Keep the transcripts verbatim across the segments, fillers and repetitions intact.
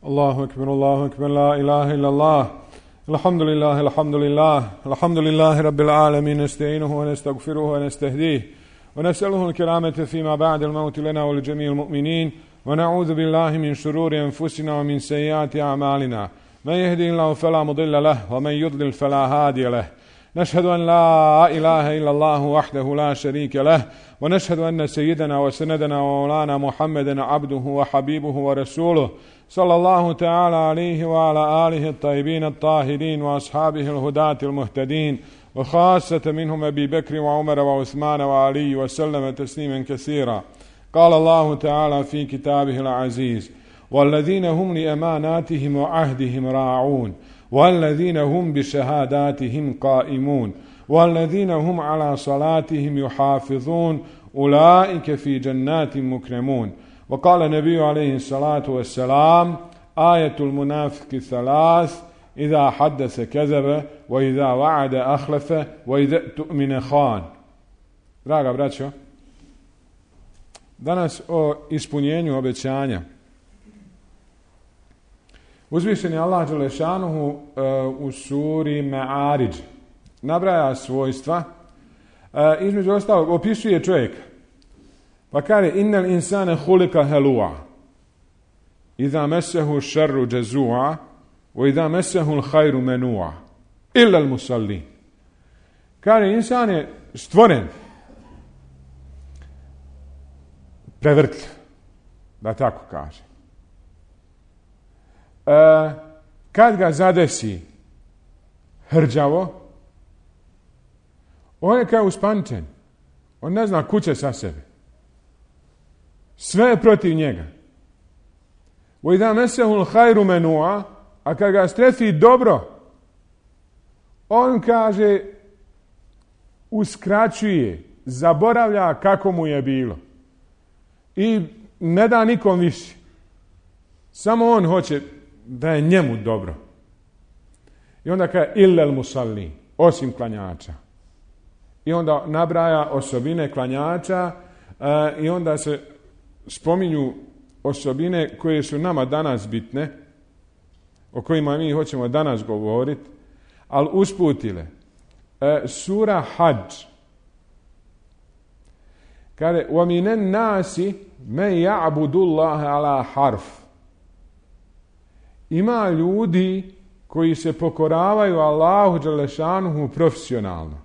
الله أكبر الله أكبر لا إله إلا الله الحمد لله الحمد لله الحمد لله رب العالمين نستعينه ونستغفره ونستهديه ونسأله الكرامة فيما بعد الموت لنا ولجميع المؤمنين ونعوذ بالله من شرور أنفسنا ومن سيئات أعمالنا من يهدي الله فلا مضل له ومن يضلل فلا هادي له نشهد أن لا إله إلا الله وحده لا شريك له ونشهد أن سيدنا وسندنا ومولانا محمدا عبده وحبيبه ورسوله صلى الله تعالى عليه وعلى آله الطيبين الطاهرين وأصحابه الهداة المهتدين وخاصة منهم أبي بكر وعمر وعثمان وعلي وسلم تسليما كثيرا. قال الله تعالى في كتابه العزيز والذين هم لأماناتهم وعهدهم راعون والذين هم بشهاداتهم قائمون والذين هم على صلاتهم يحافظون أولئك في جنات مكرمون. وقال النبي عليه الصلاة والسلام آية المنافق ثلاث إذا حدث كذب وإذا وعد أخلف وإذا تؤمن خان. Draga braćo, danas o ispunjenju obećanja. Uzvišen je Allah dželešanuhu uh, u suri Ma'arij nabraja svojstva, uh, između ostalog opisuje čovjeka. Pa kaže innal insana khuliqa halua idha massahu sharru jazua wa idha massahu alkhairu manua illa almusallin. Kaže insan je stvoren prevrtljiv, da tako kaže. E, kad ga zadesi hrđavo, on je kao uspančen. On ne zna kuće sa sebe. Sve je protiv njega. وَإِذَا مَسَّهُ الْخَيْرُ مَنُوعًا, a kad ga strefi dobro, on kaže, uskraćuje, zaboravlja kako mu je bilo. I ne da nikom više. Samo on hoće da je njemu dobro. I onda kaže illal musallin, osim klanjača. I onda nabraja osobine klanjača uh, i onda se spominju osobine koje su nama danas bitne, o kojima mi hoćemo danas govoriti, ali usputile. Uh, sura Hadž kaže وَمِنَ النَّاسِ مَنْ يَعْبُدُ اللَّهَ عَلَى حَرْفٍ. Ima ljudi koji se pokoravaju Allahu dželešanuhu profesionalno.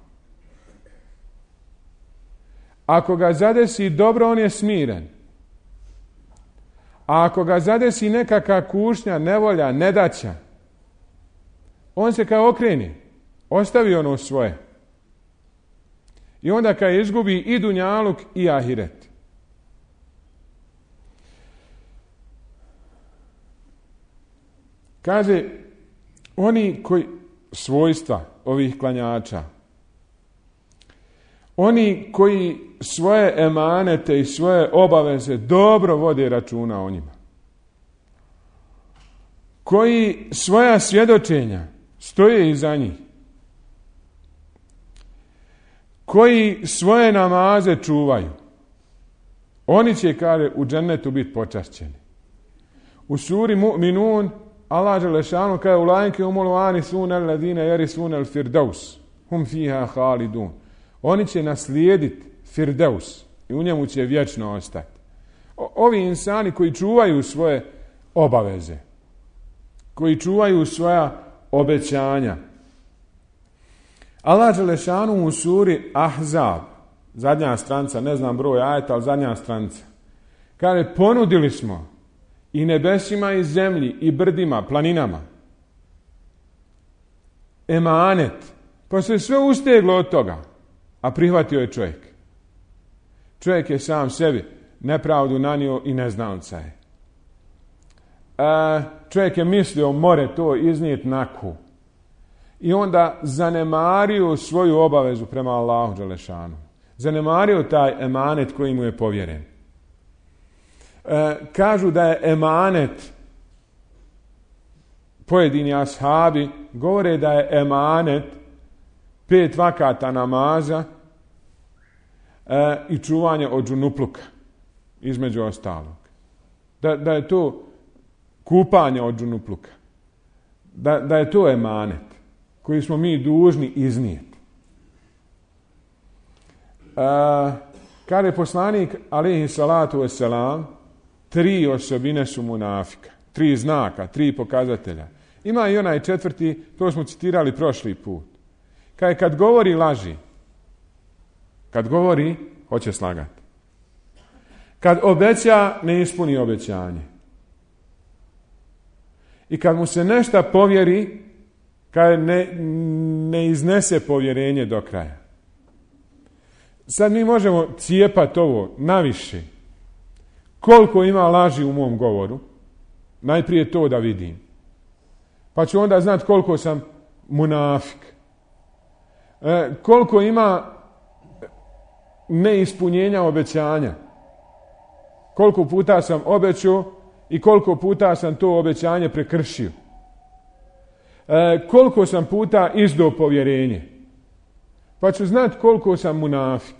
Ako ga zadesi dobro, on je smiren. A ako ga zadesi nekakva kušnja, nevolja, nedaća, on se kao okreni, ostavi ono svoje. I onda kad izgubi i dunjaluk i ahiret. Kaže, oni koji, svojstva ovih klanjača, oni koji svoje emanete i svoje obaveze dobro vode računa o njima, koji svoja svjedočenja stoje iza njih, koji svoje namaze čuvaju, oni će, kaže, u džennetu biti počašćeni. U suri Mu'minun Allah dželešanu kaže ulajke umul varisuna alladine yarisuna al-firdaus hum fiha khalidun. Oni će naslijediti firdaus i u njemu će vječno ostati. O, ovi insani koji čuvaju svoje obaveze, koji čuvaju svoja obećanja. Allah dželešanu u suri Ahzab, zadnja stranica, ne znam broj ajeta, ali zadnja stranica, kaže ponudili smo i nebesima i zemlji i brdima, planinama emanet, pa se sve usteglo od toga, a prihvatio je čovjek. Čovjek je sam sebi nepravdu nanio i neznalca je. E, čovjek je mislio more to iznijeti naku i onda zanemario svoju obavezu prema Allahu dželešanu. Zanemario taj emanet koji mu je povjeren. E, kažu da je emanet, pojedini ashabi govore da je emanet pet vakata namaza e, i čuvanje od džunupluka, između ostalog. Da, da je to kupanja od džunupluka. Da, da je to emanet koji smo mi dužni iznijeti. Uh, Kada je poslanik, alejhi salatu vesselam, tri osobine su munafika. Tri znaka, tri pokazatelja. Ima i onaj četvrti, to smo citirali prošli put. Kad, kad govori laži, kad govori, hoće slagati. Kad obeća, ne ispuni obećanje. I kad mu se nešto povjeri, kad ne, ne iznese povjerenje do kraja. Sad mi možemo cijepati ovo naviše. Koliko ima laži u mom govoru, najprije to da vidim. Pa ću onda znati koliko sam munafik. E, koliko ima neispunjenja obećanja. Koliko puta sam obećao i koliko puta sam to obećanje prekršio. E, koliko sam puta izdao povjerenje. Pa ću znati koliko sam munafik.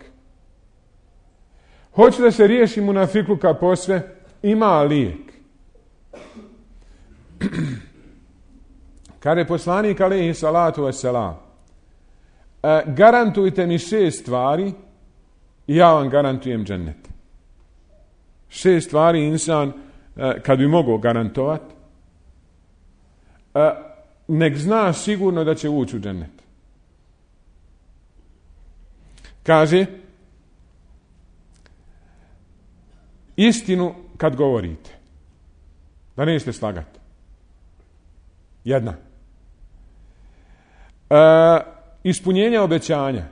Hoću da se riješi munafikluka posve, ima lijek. Kada je poslanik alejhi salatu vesselam, e, garantujte mi šest stvari i ja vam garantujem džennet. Šest stvari insan, e, kad bi mogao garantovati, e, nek zna sigurno da će ući u džennet. Kaže, istinu kad govorite, da nećete slagati. Jedna. E, ispunjenje obećanja.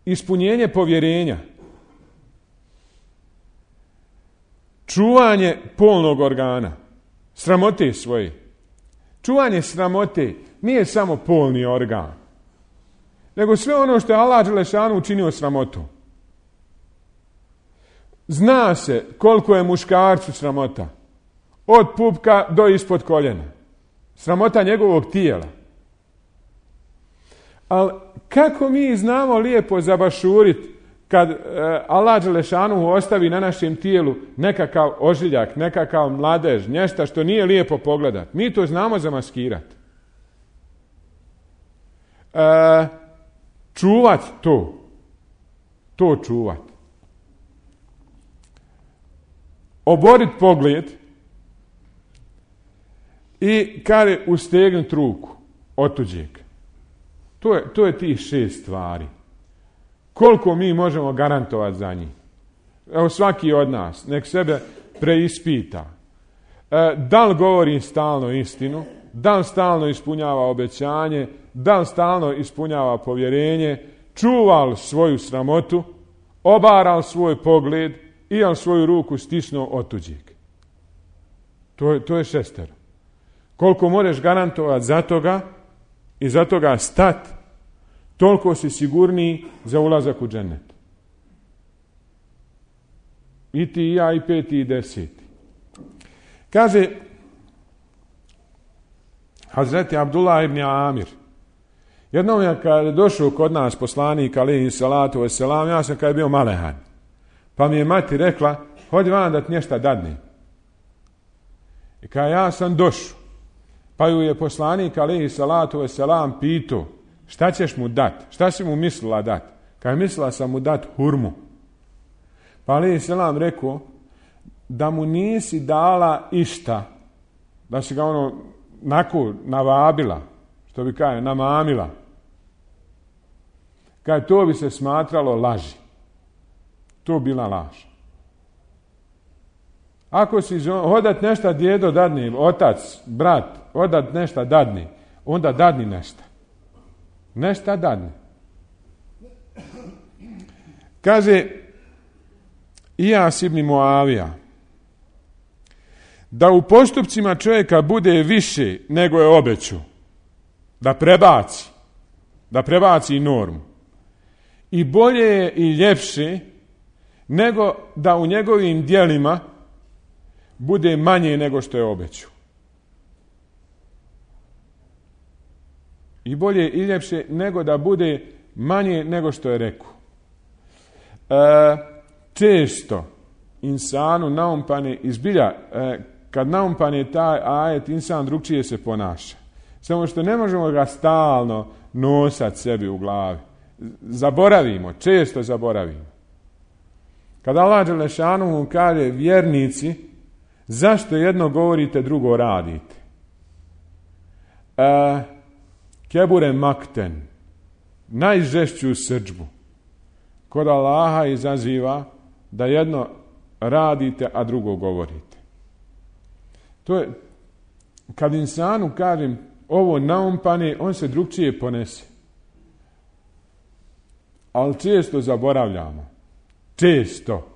Ispunjenje povjerenja. Čuvanje polnog organa. Sramote svoje. Čuvanje sramote nije samo polni organ, nego sve ono što je Allah dželešanu učinio sramotom. Zna se koliko je muškarcu sramota. Od pupka do ispod koljena. Sramota njegovog tijela. Ali kako mi znamo lijepo zabašuriti kad e, Allah dželešanu ostavi na našem tijelu nekakav ožiljak, nekakav mladež, nešto što nije lijepo pogledat. Mi to znamo zamaskirati. E, čuvat to. To čuvat. Oborit pogled i kada ustegnut ruku od tuđeg. To je, to je tih šest stvari. Koliko mi možemo garantovati za njih? Evo svaki od nas, nek sebe preispita. E, da li govori stalno istinu? Da li stalno ispunjava obećanje? Da li stalno ispunjava povjerenje? Čuva li svoju sramotu? Obara li svoj pogled? I li svoju ruku stisnuo od tuđeg? To je, to je šestero. Koliko možeš garantovati za toga i za toga stat, toliko si sigurniji za ulazak u džennet. I ti i ja i peti i deseti. Kaže Hazreti Abdullah ibn Amir, jednom je kad je došao kod nas poslanik alejhi salatu vesselam, ja sam kad je bio malehan, pa mi je mati rekla, hodi van da ti nešto dadne. I kad ja sam došao, pa ju je poslanik alejhi salatu vesselam pitao, šta ćeš mu dat? Šta si mu mislila dat? Kad je mislila sam mu dat hurmu. Pa alejhi selam rekao, da mu nisi dala išta, da si ga ono naku navabila, što bi kaže, namamila. Kad to bi se smatralo laži. To bila laž. Ako si hodat nešto djedo dadni, otac, brat, odat nešto dadni, onda dadni nešto. Nešto dadni. Kaže Ijas ibn Muavija, da u postupcima čovjeka bude više nego je obećao, da prebaci, da prebaci normu. I bolje je i ljepše nego da u njegovim djelima bude manje nego što je obećao. I bolje i ljepše nego da bude manje nego što je rekao. E, često insanu naumpane izbilja, e, kad naumpane taj ajet, insan drugčije se ponaša. Samo što ne možemo ga stalno nosati sebi u glavi. Zaboravimo, često zaboravimo. Kad Allah dželešanu kaže vjernici, zašto jedno govorite, drugo radite? E, kebure makten, najžešću srdžbu kod Allaha izaziva da jedno radite, a drugo govorite. To je, kad insanu kažem ovo naumpane, on se drugčije ponese. Ali često zaboravljamo. Često.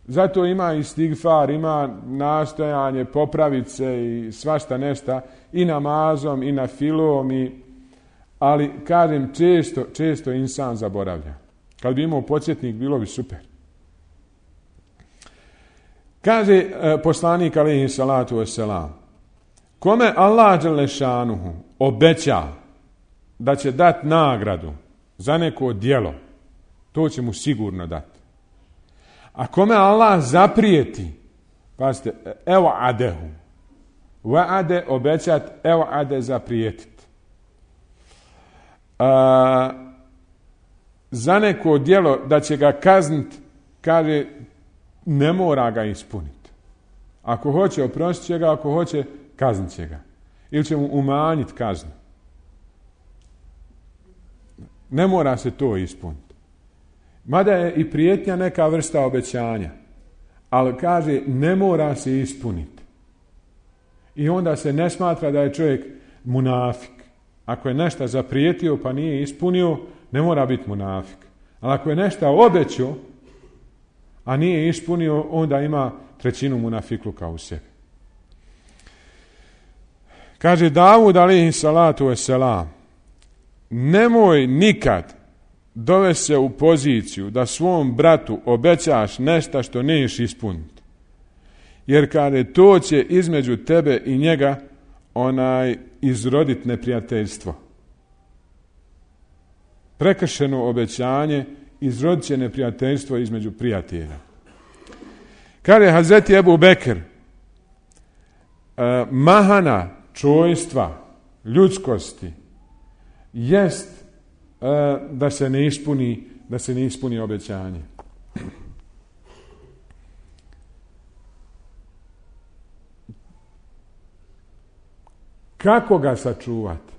Zato ima i stigfar, ima nastojanje popraviti se i svašta nešta i namazom i na filom, i, ali kažem često, često insan zaboravlja. Kad bi imao podsjetnik, bilo bi super. Kaže e, poslanik alejhi salatu vesselam, kome Allah dželešanuhu obeća da će dati nagradu za neko djelo, to će mu sigurno dati. A kome Allah zaprijeti, pazite, evo adehu, vaade obećat, evo ade zaprijetit. A, za neko djelo da će ga kazniti, kaže, ne mora ga ispuniti. Ako hoće, oprostit će ga, ako hoće, kaznit će ga. Ili će mu umanjiti kaznu. Ne mora se to ispuniti. Mada je i prijetnja neka vrsta obećanja. Ali kaže, ne mora se ispuniti. I onda se ne smatra da je čovjek munafik. Ako je nešto zaprijetio pa nije ispunio, ne mora biti munafik. Ali ako je nešto obećao, a nije ispunio, onda ima trećinu munafikluka u sebi. Kaže Davud alejhi salatu vesselam, nemoj nikad dovesti se u poziciju da svom bratu obećaš nešto što neš ispuniti. Jer kaže, to će između tebe i njega onaj izrodit neprijateljstvo. Prekršeno obećanje izrodit će neprijateljstvo između prijatelja. Kaže Hazreti Ebu Bekr, mahana čojstva, ljudskosti, jest da se ne ispuni, da se ne ispuni obećanje. Kako ga sačuvati?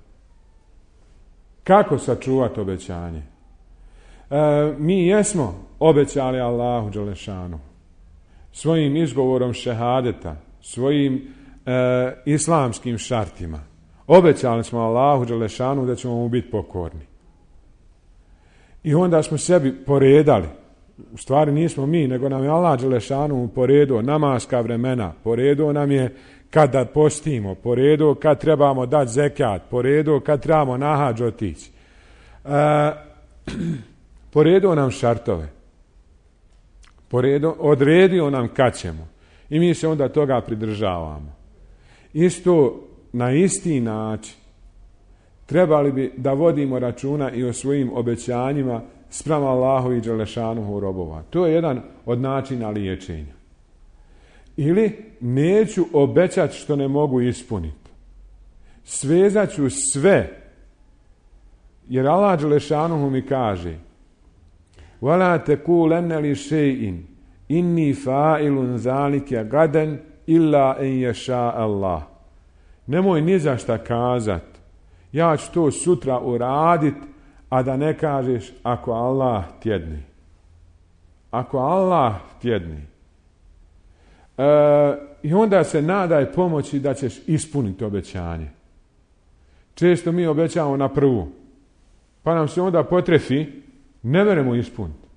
Kako sačuvati obećanje? E, mi jesmo obećali Allahu dželešanu svojim izgovorom šehadeta, svojim e, islamskim šartima. Obećali smo Allahu dželešanu da ćemo mu biti pokorni. I onda smo sebi poredali. U stvari nismo mi, nego nam je Allah dželešanu poredio namaska vremena, poredio nam je kada postimo, poredio kad trebamo dati zekat, poredio kad trebamo na hadž otići. E, poredio nam šartove. Poredio, odredio nam kad ćemo. I mi se onda toga pridržavamo. Isto na isti način trebali bi da vodimo računa i o svojim obećanjima spram Allahu i dželešanuhu robova. To je jedan od načina liječenja. Ili neću obećati što ne mogu ispuniti. Svezat ću sve. Jer Allah dželešanuhu mi kaže وَلَا تَكُولَنَّ لِشَيْءٍ إِنِّي فَاعِلٌ ذَلِكَ غَدًا إِلَّا أَنْ يَشَاءَ اللَّهُ. Nemoj ni za šta kazat. Ja ću to sutra uradit, a da ne kažeš ako Allah tjedni. Ako Allah tjedni. E, I onda se nadaj pomoći da ćeš ispuniti obećanje. Često mi obećamo na prvu. Pa nam se onda potrefi, ne veremo ispuniti.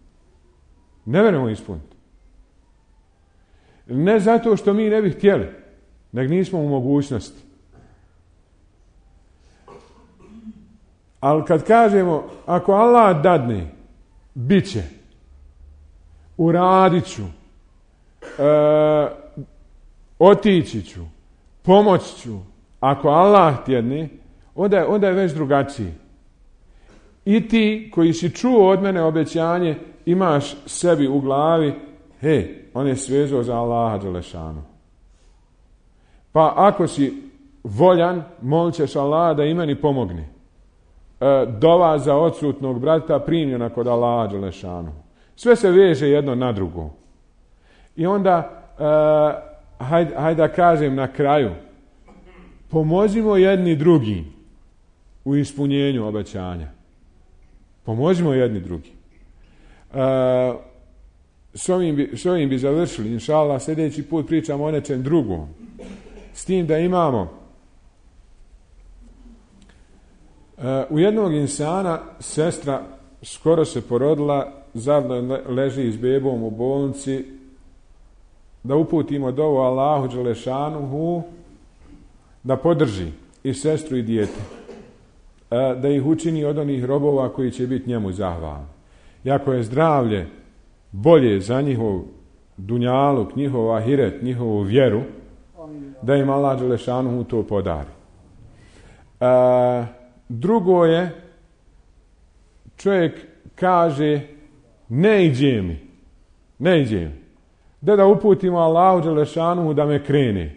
Ne veremo ispuniti. Ne zato što mi ne bi htjeli, nego nismo u mogućnosti. Ali kad kažemo, ako Allah dadne, bit će, uradit ću, e, otići ću, pomoći ću, ako Allah tjedne, onda je, onda je već drugačiji. i ti koji si čuo od mene obećanje, imaš sebi u glavi, hej, on je svezao za Allaha dželešanu. Pa ako si voljan, molit ćeš Allaha da i meni pomogni. E, dova za odsutnog brata primljena kod Allaha dželešanu. Sve se veže jedno na drugo. I onda, e, hajde, hajde da kažem na kraju, pomozimo jedni drugi u ispunjenju obećanja. Pomozimo jedni drugi. E, s, ovim bi, s ovim bi završili, inša Allah, sljedeći put pričamo o nečem drugom. S tim da imamo e, u jednog insana sestra skoro se porodila, zajedno leži s bebom u bolnici, da uputimo dovu Allahu dželešanuhu da podrži i sestru i dijete, e, da ih učini od onih robova koji će biti njemu zahvalni. Iako je zdravlje bolje za njihov dunjaluk, njihov ahiret, njihovu vjeru, da im Allah dželešanuhu to podari. E, drugo je, čovjek kaže, ne iđe mi, ne iđe mi. Da da uputimo Allahu dželešanuhu da me krene.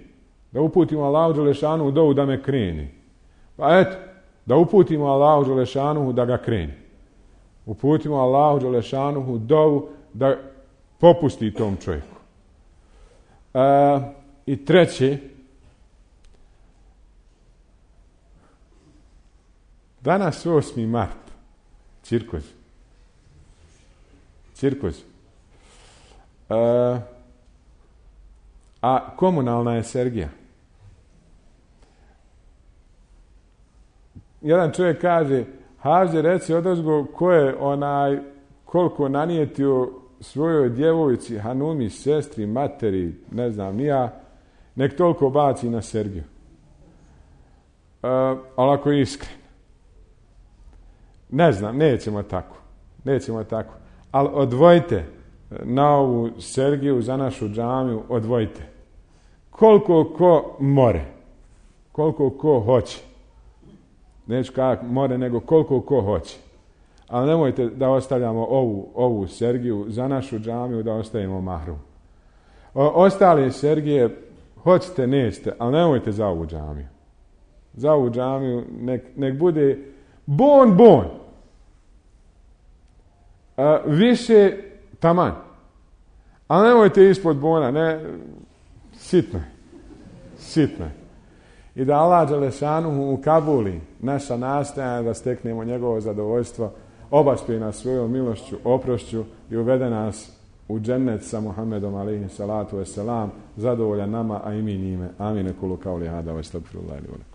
Da uputimo Allahu dželešanuhu dovu da me krene. Pa eto, da uputimo Allahu dželešanuhu da ga krene. Uputimo Allahu dželešanuhu dovu da popusti tom čovjeku. E, I treće, danas osmi mart, cirkus. Cirkus. E, a komunalna je Sergija. Jedan čovjek kaže, Haže, reci odozgo ko je onaj, koliko nanijetio svojoj djevojci, hanumi, sestri, materi, ne znam, nija, nek toliko baci na Sergiju. E, ali ako je iskren. Ne znam, nećemo tako. Nećemo tako. Ali odvojite na ovu Sergiju za našu džamiju, odvojite. Koliko ko more. Koliko ko hoće. Neću kako more, nego koliko ko hoće. Ali nemojte da ostavljamo ovu, ovu Sergiju za našu džamiju, da ostavimo mahrum. O, ostali Sergije, hoćete, nećete, ali nemojte za ovu džamiju. Za ovu džamiju nek, nek bude bon, bon. A, više taman. Ali nemojte ispod bona, ne, sitno je. Sitno je. I da Allah dželešanuhu ukabuli naša nastojanja da steknemo njegovo zadovoljstvo, obaspe nas svojom milošću, oprošću i uvede nas u džennet sa Muhammedom alejhi salatu vesselam, zadovoljan nama, a i mi njime. Amin. Kulu kauli hada, ve estagfirullaha li wa lakum.